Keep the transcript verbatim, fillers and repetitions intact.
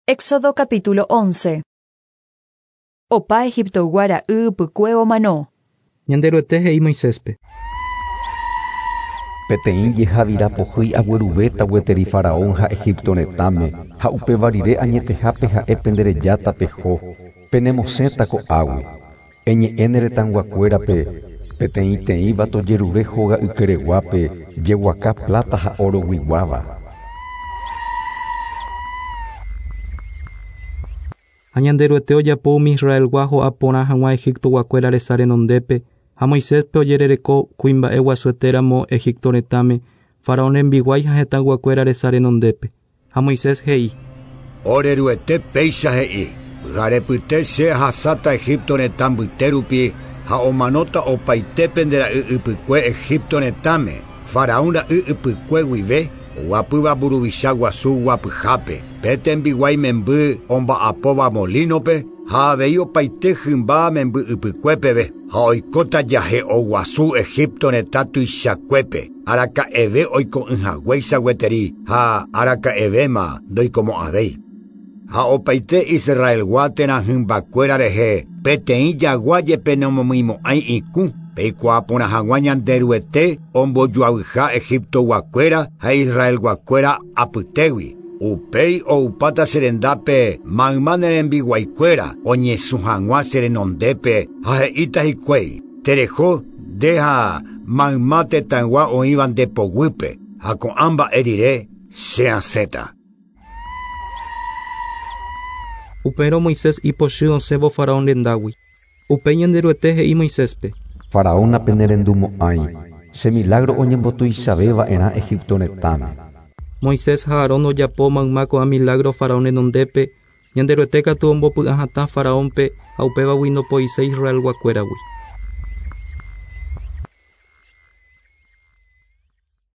Éxodo capítulo once. Opa Egiptoygua ra'y ypykue omano. Ñanderuete he'i Moiséspe. Peteĩ jehavira pohýi agueruvéta gueteri Faraón ha Egipto retãme ha upéva rire añetehápe ha'e penderejáta peho, penemosẽta ko'águi. Eñe'ẽ ne retãyguakuérape peteĩteĩva tojerure hóga ykereguápe jeguaka plata ha oroguiguáva. Ha Ñanderuete ojapo umi Israelgua ho'a porã hag̃ua Egiptoguakuéra resa renondépe ha Moiséspe ojerereko kuimba'e guasuetéramo Egipto retãme Faraón rembiguái ha hetãyguakuéra resa renondépe. Ha Moisés he'i: Oreruete péicha he'i, pyharepyte che ahasáta Egipto retã mbyte rupi ha omanóta opaite pende ra'y ypykue Egipto retãme, Faraón ra'y ypykue guive oguapýva mburuvicha guasu guapyhápe, pe tembiguái memby omba'apóva molínope ha avei opaite hymba memby ypykuépeve ha oikóta jahe'o guasu Egipto retã tuichakuépe, araka'eve oiko'ỹhaguéicha gueteri ha araka'evéma ndoikomo'ãvéi. Ha opaite Israelgua térã hymbakuéra rehe peteĩ jagua jepe nomomyimo'ãi ikũ peikuaa porã hag̃ua Ñanderuete ombojoavyha Egiptoguakuéra ha Israelguakuéra apytégui. Upéi oupáta che rendápe mayma ne rembiguaikuéra oñesũ hag̃ua che renondépe ha he'íta hikuái: Tereho nde ha mayma tetãygua oĩva nde poguýpe ha ko'ã mba'e rire che asẽta. Upérõ Moisés ipochy osẽvo Faraón rendágui. Upéi Ñanderuete he'i Moiséspe: Faraón napenerendumo'ãi, che milagro oñembotuichavéva'erã Egipto retãme. Moisés ha Aarón ojapo mayma ko'ã milagro Faraón renondépe, Ñanderuete katu ombopy'ahatã Faraónpe ha upévagui ndopoiséi Israelguakuéragui.